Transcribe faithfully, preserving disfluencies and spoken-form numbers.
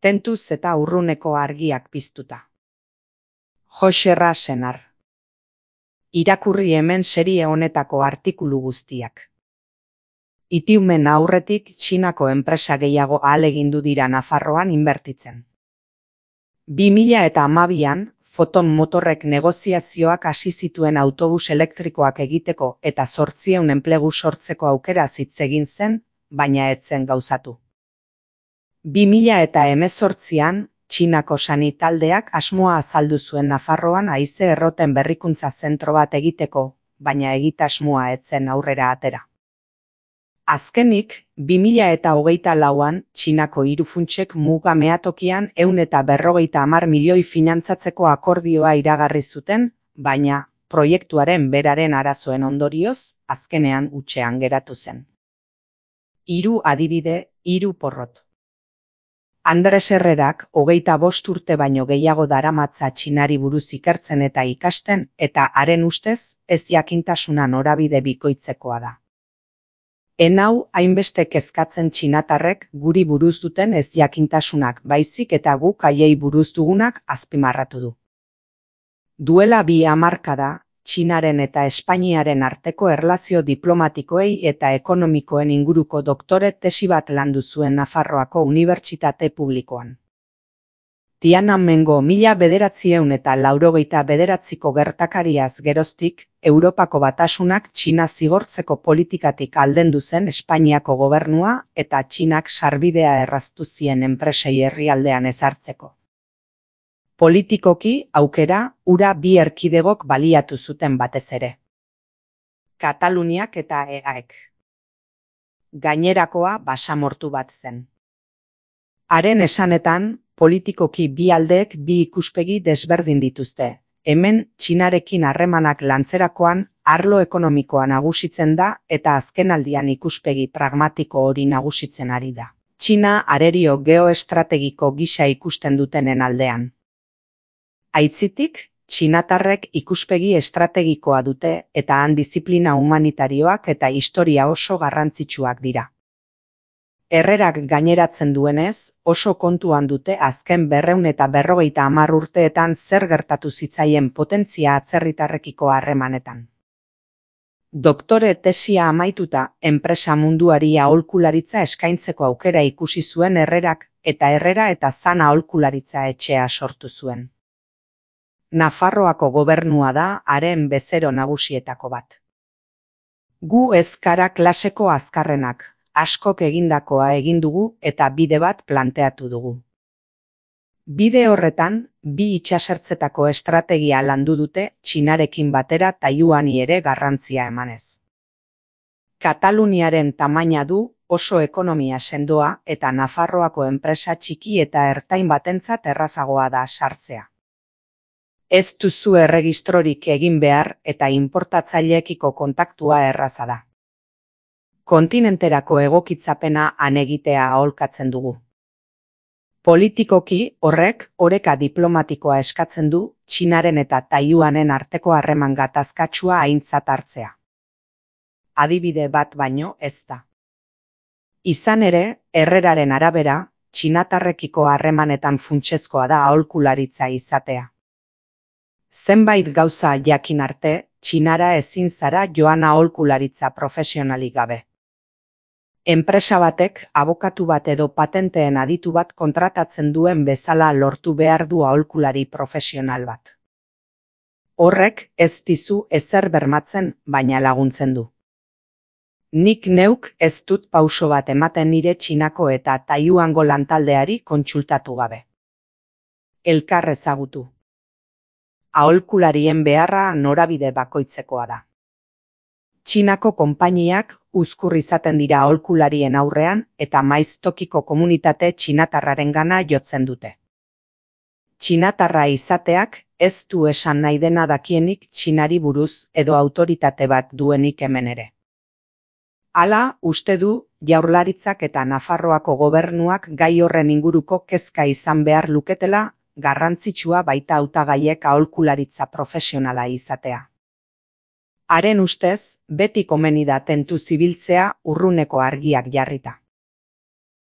tentuz eta urruneko argiak piztuta. Joxerra Senar. Irakurri hemen serie honetako artikulu guztiak. Itiumen aurretik Txinako enpresa gehiago ahalegindu dira Nafarroan inbertitzen. bi mila hamabian, Foton Motorrek negoziazioak hasi zituen autobus elektrikoak egiteko eta zortziehun enplegu sortzeko aukera hitz egin zen, baina ez zen gauzatu. bi mila hemezortzian, Txinako sanitaldeak asmoa azaldu zuen Nafarroan haize erroten berrikuntza zentro bat egiteko, baina egitasmoa ez zen aurrera atera. Azkenik, bi mila hogeita lauan, Txinako hiru funtsek muga meatokian ehun eta berrogeita hamar milioi finantzatzeko akordioa iragarri zuten, baina, proiektuaren beraren arazoen ondorioz, azkenean hutsean geratu zen. Hiru adibide, hiru porrot. Andres Herrerak hogeita bost urte baino gehiago daramatza Txinari buruz ikertzen eta ikasten, eta haren ustez, ez jakintasuna norabide bikoitzekoa da. Enau hainbeste kezkatzen txinatarrek guri buruz duten ez jakintasunak baizik eta guk haiei buruz dugunak azpimarratu du. Duela bi hamarkada, Txinaren eta Espainiaren arteko erlazio diplomatikoei eta ekonomikoen inguruko doktore tesi bat landu zuen Nafarroako Unibertsitate Publikoan. Tiananmengo mila bederatziehun eta laurogeita bederatziko gertakariaz geroztik, Europako Batasunak Txina zigortzeko politikatik aldendu zen Espainiako gobernua eta Txinak sarbidea erraztu zien enpresei herrialdean ezartzeko. Politikoki, aukera, hura bi erkidegok baliatu zuten batez ere. Kataluniak eta E A ek. Gainerakoa basamortu bat zen. Haren esanetan, politikoki bi aldeek bi ikuspegi desberdin dituzte. Hemen, Txinarekin harremanak lantzerakoan, arlo ekonomikoa nagusitzen da eta azkenaldian ikuspegi pragmatiko hori nagusitzen ari da. Txina arerio geoestrategiko gisa ikusten dutenen aldean. Aitzitik, txinatarrek ikuspegi estrategikoa dute eta han diziplina humanitarioak eta historia oso garrantzitsuak dira. Herrerak gaineratzen duenez, oso kontuan dute azken berrehun eta berrogeita hamar urteetan zer gertatu zitzaien potentzia atzerritarrekiko harremanetan. Doktore tesia amaituta, enpresa munduari aholkularitza eskaintzeko aukera ikusi zuen Herrerak, eta Herrera eta Zan aholkularitza etxea sortu zuen. Nafarroako gobernua da haren bezero nagusietako bat. Gu ez gara klaseko azkarrenak, askok egindakoa egin dugu eta bide bat planteatu dugu. Bide horretan, bi itsasertzetako estrategia landu dute Txinarekin batera Taiwani ere garrantzia emanez. Kataluniaren tamaina du, oso ekonomia sendoa eta Nafarroako enpresa txiki eta ertain batentzat errazagoa da sartzea. Ez duzu erregistrorik egin behar eta inportatzaileekiko kontaktua erraza da. Kontinenterako egokitzapena han egitea aholkatzen dugu. Politikoki horrek oreka diplomatikoa eskatzen du Txinaren eta Taiwanen arteko harreman gatazkatsua aintzat hartzea. Adibide bat baino ez da. Izan ere, Herreraren arabera, txinatarrekiko harremanetan funtsezkoa da aholkularitza izatea. Zenbait gauza jakin arte, Txinara ezin zara joan aholkularitza profesionalik gabe. Enpresa batek abokatu bat edo patenteen aditu bat kontratatzen duen bezala lortu behar du aholkulari profesional bat. Horrek ez dizu ezer bermatzen, baina laguntzen du. Nik neuk ez dut pauso bat ematen nire Txinako eta Taiwango lantaldeari kontsultatu gabe. Elkar ezagutu. Aholkularien beharra norabide bakoitzekoa da. Txinako konpainiak uzkur izaten dira aholkularien aurrean eta maiz tokiko komunitate txinatarrarengana jotzen dute. Txinatarra izateak ez du esan nahi dena dakienik Txinari buruz edo autoritate bat duenik hemen ere. Hala, uste du, Jaurlaritzak eta Nafarroako gobernuak gai horren inguruko kezka izan behar luketela, garrantzitsua baita hautagaiek aholkularitza profesionala izatea. Haren ustez, beti komeni da tentu zibiltzea urruneko argiak jarrita.